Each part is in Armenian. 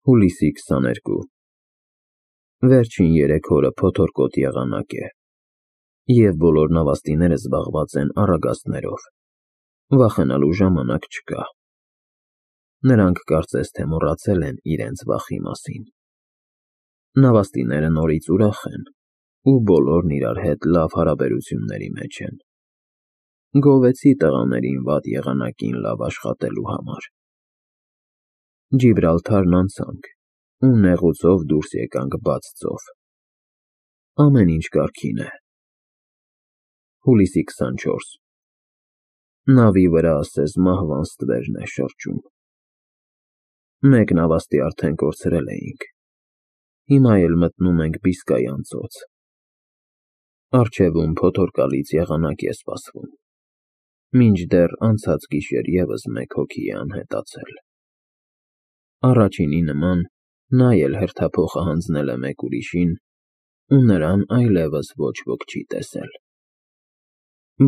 Հուլիսի 22 Վերջին 3 օրը փոթորկոտ եղանակ է, և բոլոր նավաստիները զբաղված են առագաստներով, վախենալու ժամանակ չկա, նրանք կարծես թե մոռացել են իրենց վախի մասին, նավաստիները նորից ուրախ են ու բոլորն իրար հետ լավ հարաբերությունների մեջ են, գովեցի տղաներին վատ եղանակին լավ աշխատելու համար, Ջիբրալթարն անցանք ու նեղուցով դուրս եկանք բաց ծով, ամեն ինչ կարգին է, Հուլիսի 24 Նավի վրա ասես մահվան ստվերն է շրջում, մեկ նավաստի արդեն կորցրել էինք, հիմա էլ մտնում ենք Բիսկայան ծոց, առջևում փոթորկալից եղանակ է սպասվում, մինչդեռ անցած գիշեր ևս մեկ հոգի է անհետացել, առաջինի նման նա էլ հերթափոխը հանձնել է մեկ ուրիշին ու նրան այլևս ոչ ոք չի տեսել,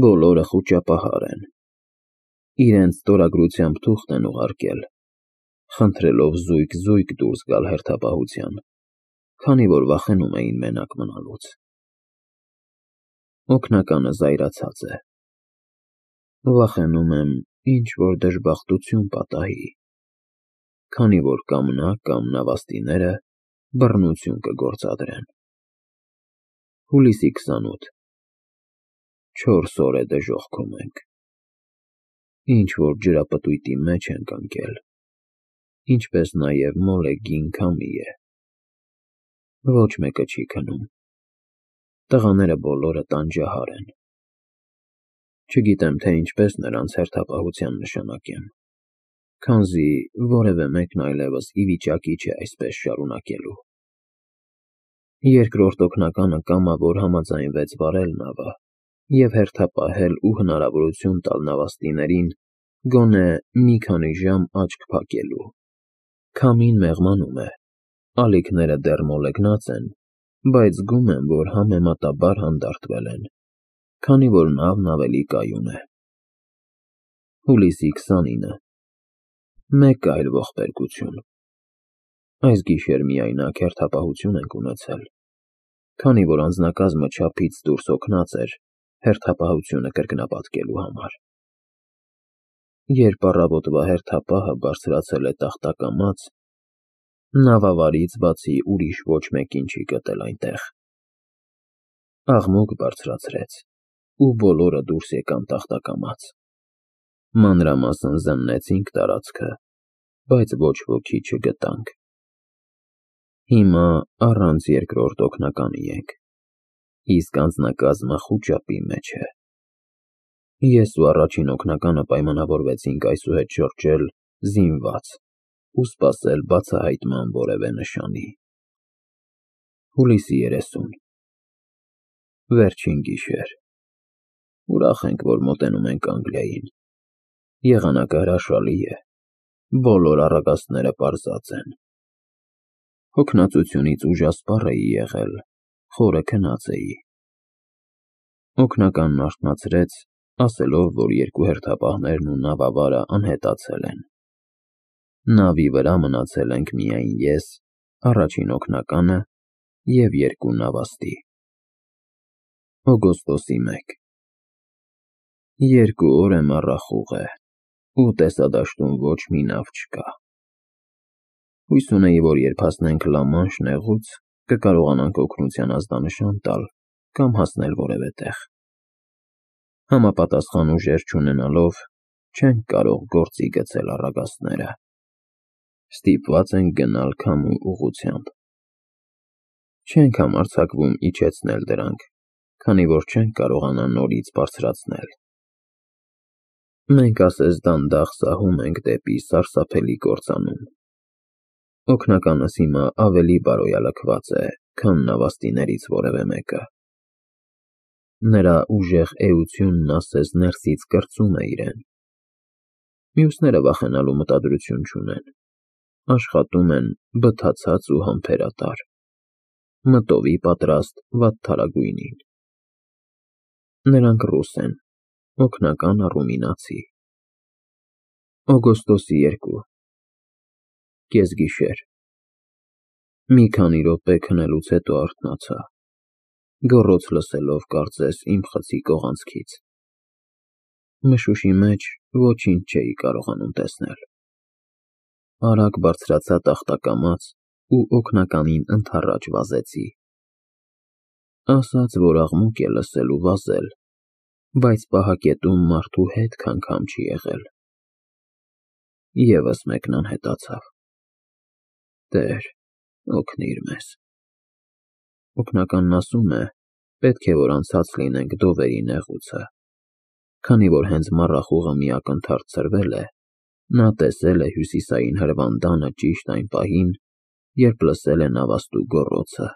բոլորը խուճապահար են, իրենց ստորագրությամբ թուղթ են ուղարկել, խնդրելով զույգ դուրս գալ հերթապահության, քանի որ վախենում էին մենակ մնալուց, օգնականը զայրացած է, վախենում եմ ինչ-որ դժբախտություն պատահի, քանի որ կամ նա կամ նավաստիները բռնություն կգործադրեն, Հուլիսի 28 4 օր է դժոխքում ենք, ինչ-որ ջրապտույտի մեջ ենք ընկել, ինչպես նաև մոլեգին քամի է, ոչ մեկը չի քնում, տղաները բոլորը տանջահար են, չգիտեմ, թե ինչպես նրանց հերթապահության նշանակեմ, քանզի որևէ մեկն այլևս ի վիճակի չէ այսպես շարունակելու, երկրորդ օգնականը կամավոր համաձայնվեց վարել նավը և հերթապահել ու հնարավորություն տալ նավաստիներին գոնե մի քանի ժամ աչք փակելու, քամին մեղմանում է, ալիքները դեռ մոլեգնած են, բայց զգում եմ, որ համեմատաբար հանդարտվել են, քանի որ նավն ավելի կայուն է, Հուլիսի 29 Մեկ այլ ողբերգություն, այս գիշեր միայնակ հերթապահություն ենք ունեցել, քանի որ անձնակազմը չափից դուրս հոգնած էր հերթապահությունը կրկնապատկելու համար, երբ առավոտվա հերթապահը բարձրացել է տախտակամաց, նավավարից բացի ուրիշ ոչ մեկին չի գտել այնտեղ, աղմուկ բարձրացրեց ու բոլորը դուրս եկան տախտակամաց, մանրամասն զննեցինք տարածքը, բայց ոչ ոքի չգտանք, հիմա առանց երկրորդ օգնականի ենք, իսկ անձնակազմը խուճապի մեջ է, ես ու առաջին օգնականը պայմանավորվեցինք այսուհետ շրջել զինված ու սպասել բացահայտման որևէ նշանի, Հուլիսի 30 Վերջին գիշեր, ուրախ ենք, որ մոտենում ենք Անգլիային, եղանակը հրաշալի է, բոլոր առագաստները պարզած են, հոգնածությունից ուժասպառ էի եղել, խորը քնած էի, օգնականն արթնացրեց, ասելով, որ երկու հերթապահներն ու նավավարը անհետացել են, նավի վրա մնացել ենք միայն ես, առաջին օգնականը և երկու նավաստի, օգոստոսի 1 2 օր է մառախուղ է ու տեսադաշտում ոչ մի նավ չկա, հույս ունեի, որ երբ հասնենք Լա-Մանշ նեղուց, կկարողանանք օգնության ազդանշան տալ կամ հասնել որևէ տեղ, համապատասխան ուժեր չունենալով, չենք կարող գործի գցել առագաստները, ստիպված ենք գնալ քամու ուղղությամբ, չենք համարձակվում իջեցնել դրանք, քանի որ չենք կարողանա նորից բարձրացնել, մենք ասես դանդաղ սահում ենք դեպի սարսափելի կործանում, օգնականս հիմա ավելի բարոյալքված է, քան նավաստիներից որևէ մեկը, նրա ուժեղ էությունն ասես ներսից կրծում է իրեն, մյուսները վախենալու մտադրություն չունեն, աշխատում են բթացած ու համբերատար, մտովի պատրաստ վատթարագույնին, նրանք ռուս են, օգնականը ռումինացի, օգոստոսի 2 կեսգիշեր, Մի քանի րոպե քնելուց հետո արթնացա, գոռոց լսելով կարծես իմ խցի կողանցքից։ Մշուշի մեջ ոչինչ չէի կարողանում տեսնել։ Արագ բարձրացա տախտակամած ու օգնականին ընդառաջ վազեցի։ Ասաց, որ աղմուկ է լսել ու վազել, բայց պահակետում մարդու հետք անգամ չի եղել։ Եվս մեկն անհետացավ։ Տեր, օգնիր մեզ։ Օգնականն ասում է, պետք է որ անցած լինենք դովերի նեղուցը, քանի որ հենց մառախուղը մի ակնթարթ ցրվել է, նա տեսել է հյուսիսային հրվանդանը ճիշտ այն պահին, երբ լսել է նավաստու գոռոցը։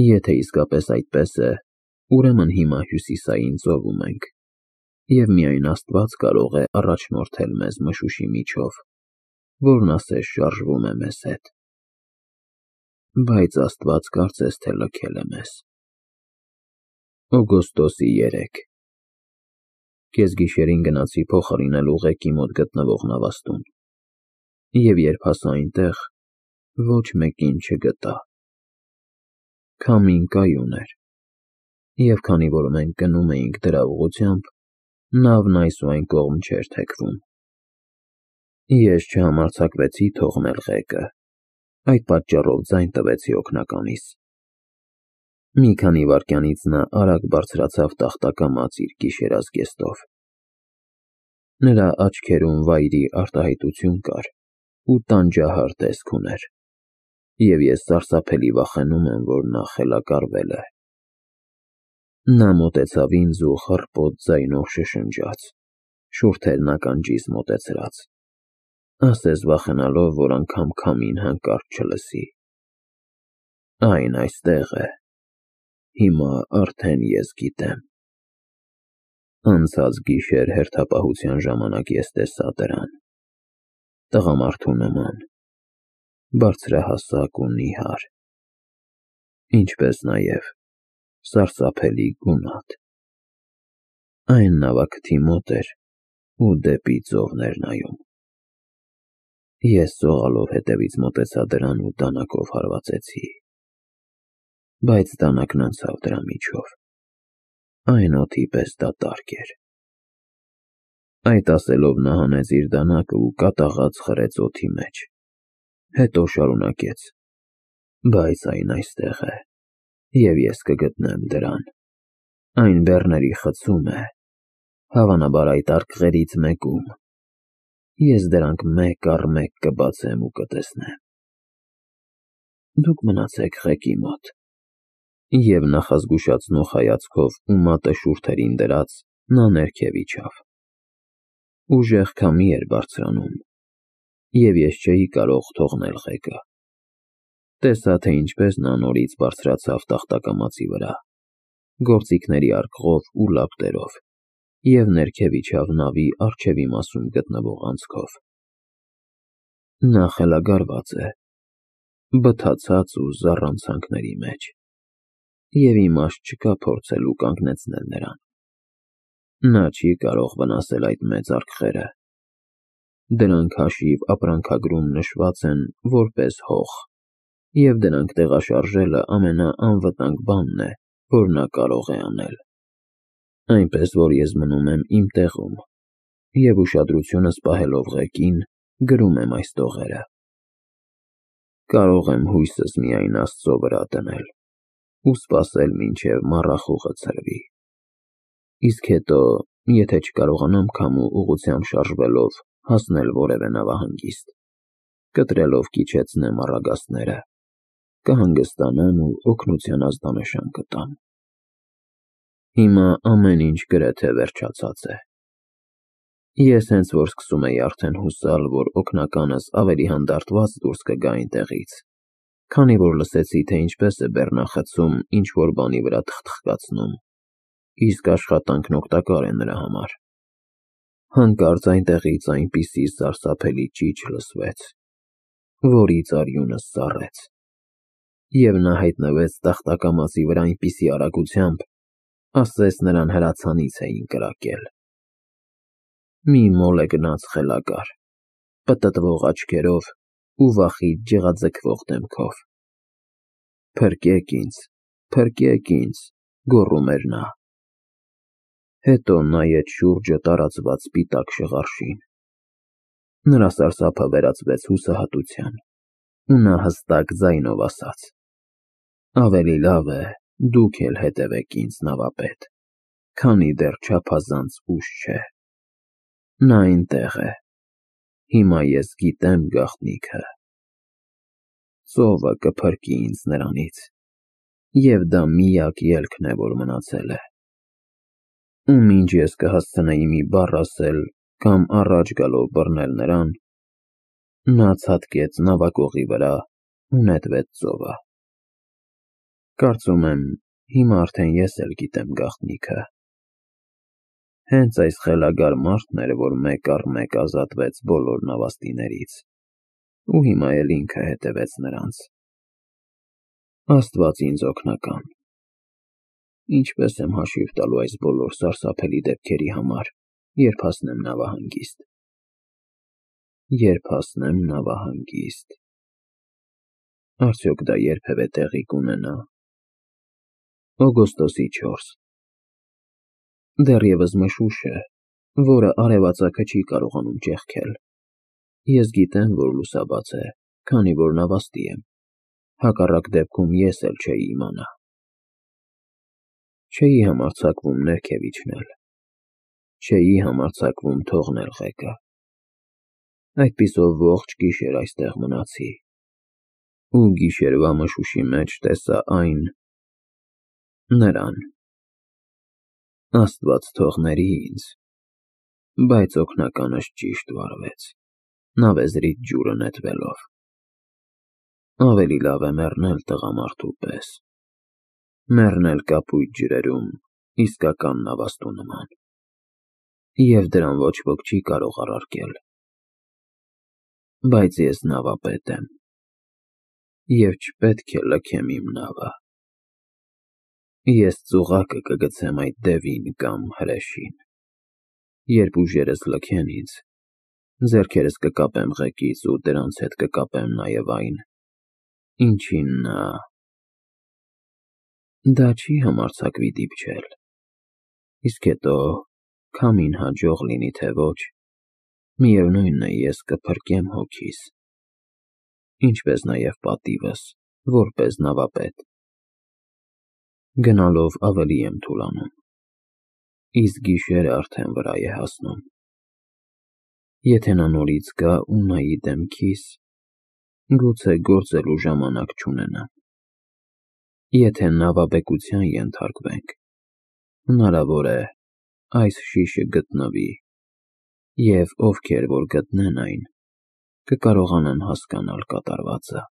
Եթե իսկապես այդպես է, ուրեմն հիմա հյուսիսային ծովում ենք, և միայն Աստված կարող է առաջնորդել մեզ մշուշի միջով, որն ասես շարժվում է մեզ հետ։ Բայց Աստված կարծես թե լքել է մեզ։ Օգոստոսի 3 Կեսգիշերին գնացի փոխարինել ուղեկի մոտ գտնվող նավաստուն, և երբ հասա այնտեղ, ոչ մեկին չգտա։ Քամին կայուն էր, և քանի որ մենք գնում էինք դրա ուղղությամբ, նավն այս ու այն կողմ չէր թեքվում։ Ես չհամարձակվեցի թողնել ղեկը, այդ պատճառով ձայն տվեցի օգնականիս։ Մի քանի վայրկյանից նա արագ բարձրացավ տախտակամած իր գիշերազգեստով։ Նրա աչքերում վայրի արտահայտություն կար ու տանջահար տեսք ուներ, և ես սարսափելի վախենում եմ, որ նա խելագարվել է։ Նա մոտեցավ ինձ ու խռպոտ ձայնով շշնջաց, շուրթերն ականջիս մոտեցրած, ասես վախենալով, որ անգամ քամին հանկարծ չլսի։ Այն այստեղ է, հիմա արդեն ես գիտեմ։ Անցած գիշեր հերթապահության ժամանակ ես տեսա դրան, տղամարդու նման, բարձրահասակ ու նիհար, ինչպես նաև սարսափելի գունատ։ Այն նավակթի մոտ էր ու դեպի ծովն էր նայում։ Ես սողալով հետևից մոտեցա դրան ու դանակով հարվածեցի, բայց դանակն անցավ դրա միջով, այն օդի պես դատարկ էր։ Այդ ասելով նա հանեց իր դանակը ու կատաղած խրեց օդի մեջ, հետո շարունակեց. բայց այն այստեղ է, և ես կգտնեմ դրան։ Այն բեռների խցում է, հավանաբար այդ արկղերից մեկում։ Ես դրանք մեկ առ մեկ կբացեմ ու կտեսնեմ։ Դուք մնացեք ղեկի մոտ։ Եվ նախազգուշացնող հայացքով ու մատը շուրթերին դրած, նա ներքև իջավ։ Ուժեղ քամի էր բարձրանում, և ես չէի կարող թողնել ղեկը։ Տեսա, թե ինչպես նա նորից բարձրացավ տախտակամածի վրա, գործիքների արկղով ու լապտերով, և ներքև իջավ նավի առջևի մասում գտնվող անցքով։ Նա խելագարված է, բթացած ու զառանցանքների մեջ, և իմաստ չկա փորձելու կանգնեցնել նրան։ Նա չի կարող վնասել այդ մեծ արկղերը։ Դրանք հաշիվ ապրանքագրում նշված են որպես հող, և դրանք տեղաշարժելը ամենաանվտանգ բանն է, որ նա կարող է անել։ Այնպես որ ես մնում եմ իմ տեղում և ուշադրությունս պահելով ղեկին, գրում եմ այս տողերը։ Կարող եմ հույսս միայն Աստծո վրա դնել ու սպասել, մինչև մառախուղը ցրվի։ Իսկ հետո, եթե չկարողանամ քամու ուղղությամբ շարժվելով հասնել որևէ նավահանգիստ, կտրելով կիջեցնեմ առագաստները, կհանգստանամ ու օգնության ազդանշան կտամ։ Հիմա ամեն ինչ գրեթե վերջացած է։ Ես հենց որ սկսում էի արդեն հուսալ, որ օգնականս ավելի հանդարտված դուրս կգա այնտեղից, քանի որ լսեցի, թե ինչպես է բեռնախցում ինչ-որ բանի վրա թխթխկացնում, իսկ աշխատանքն օգտակար է նրա համար, հանկարծ այնտեղից այնպիսի սարսափելի ճիչ լսվեց, որից արյունս սառեց, և նա հայտնվեց տախտակամածի վրա այնպիսի արագությամբ, ասես նրան հրացանից էին կրակել։ Մի մոլ է գնաց խելագար, պտտվող աչքերով ու վախից ջղաձգվող դեմքով։ Փրկեք ինձ, գոռում էր նա։ Հետո նայեց շուրջը տարածված սպիտակ շղարշին։ Նրա սարսափը վերածվեց հուսահատության, ու նա հստակ ձայնով ասաց. «Ավելի լավ է դուք էլ հետևեք ինձ, նավապետ, քանի դեռ չափազանց ուշ չէ։ Նա այնտեղ է։ Հիմա ես գիտեմ գաղտնիքը։ Ծովը կփրկի ինձ նրանից, և դա միակ ելքն է, որ մնացել է։ Ու մինչ ես կհասցնեի մի բառ ասել կամ առաջ գալով բռնել նրան, նա ցատկեց նավակողի վրա ու նետվեց ծովը։ Կարծում եմ, հիմա արդեն ես էլ գիտեմ գաղտնիքը։ Հենց այս խելագար մարդն էր, որ մեկ առ մեկ ազատվեց բոլոր նավաստիներից, ու հիմա էլ ինքը հետևեց նրանց։ Աստված ինձ օգնական։ Ինչպես եմ հաշիվ տալու այս բոլոր սարսափելի դեպքերի համար, երբ հասնեմ նավահանգիստ։ Արդյոք դա երբևէ տեղի կունենա։ Օգոստոսի 4 Դեռևս մշուշ է, որը արևածագը չի կարողանում ճեղքել։ Ես գիտեմ, որ լուսաբաց է, քանի որ նավաստի եմ։ Հակառակ դեպքում ես էլ չէի իմանա։ Չէի համարձակվում ներքև իջնել։ Չէի համարձակվում թողնել ղեկը։ Այդպիսով ողջ գիշեր այստեղ մնացի։ Ու գիշերվա մշուշի մեջ տեսա նրան։ Աստված թողների ինձ, բայց օգնականս ճիշտ վարվեց, նավեզրից ջուրը նետվելով։ Ավելի լավ է մեռնել տղամարդու պես, մեռնել կապույտ ջրերում իսկական նավաստու նման, և դրան ոչ ոք չի կարող առարկել։ Բայց ես նավապետ եմ, և չպետք է լքեմ իմ նավը։ Ես ծուղակը կգցեմ այդ դևին կամ հրեշին։ Երբ ուժերս լքեն ինձ, ձեռքերս կկապեմ ղեկից ու դրանց հետ կկապեմ նաև այն, ինչին նա… Դա չի համարձակվի դիպչել։ Իսկ հետո, քամին հաջող լինի թե ոչ, միևնույն է, ես կփրկեմ հոգիս, ինչպես նաև պատիվս, որպես նավապետ։ Գնալով ավելի եմ թուլանում, իսկ գիշերը արդեն վրա է հասնում։ Եթե նա նորից գա ու նայի դեմքիս, գուցե գործելու ժամանակ չունենամ։ Եթե նավաբեկության ենթարկվենք, հնարավոր է, այս շիշը գտնվի, և ովքեր որ գտնեն այն, կկարողանան հասկանալ կատարվածը։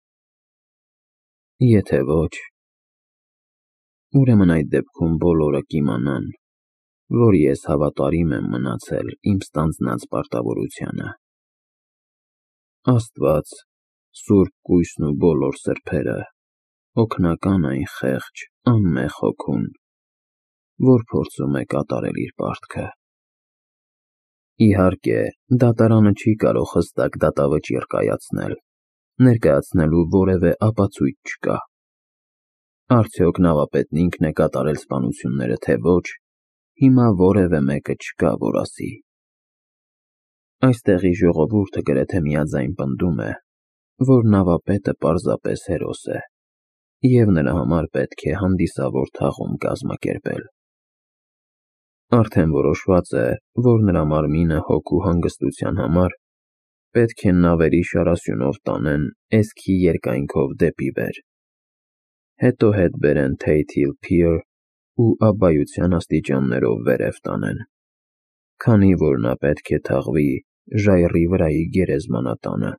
Եթե ոչ, ուրեմն այդ դեպքում բոլորը կիմանան, որ ես հավատարիմ եմ մնացել իմ ստանձնած պարտավորությանը։ Աստված, Սուրբ Կույսն ու բոլոր սրբերը, օգնական այն խեղճ, անմեղ հոգուն, որ փորձում է կատարել իր պարտքը։ Իհարկե, դատարանը չի կարող հստակ դատավճիռ կայացնել, ներկայացնելու որևէ ապացույց չկա։ Արդյոք նավապետն ինքն է կատարել սպանությունները, թե ոչ, հիմա որևէ մեկը չկա, որ ասի։ Այստեղի ժողովուրդը գրեթե միաձայն պնդում է, որ նավապետը պարզապես հերոս է, և նրա համար պետք է հանդիսավոր թաղում կազմակերպել։ Արդեն որոշված է, որ նրա մարմինը հոգու հանգստության համար պետք է նավերի շարասյունով տանեն էսքի երկայնքով դեպի վեր, հետո հետ բերեն Tate Hill Pier ու աբբայության աստիճաններով վերև տանեն, քանի որ նա պետք է թաղվի ժայռի վրայի գերեզմանատանը։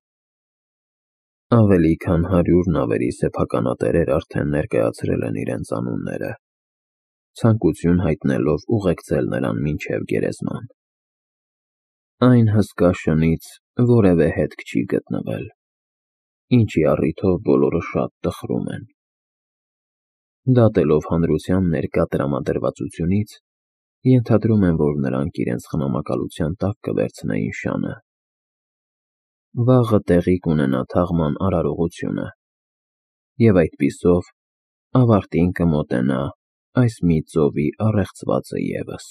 Ավելի քան 100 նավերի սեփականատերեր արդեն ներկայացրել են իրենց անունները, ցանկություն հայտնելով ուղեկցել նրան մինչև գերեզման։ Այն հսկա շնից որևէ հետք չի գտնվել, ինչի առիթով բոլորը շատ տխրում են։ Դատելով հանրության ներկա տրամադրվածությունից, ենթադրում եմ, որ նրանք իրենց խնամակալության տակ կվերցնեին շանը։ վաղը տեղի կունենա թաղման արարողությունը, և այդպիսով ավարտին կմոտենա այս մի ծովի առեղծվածը ևս։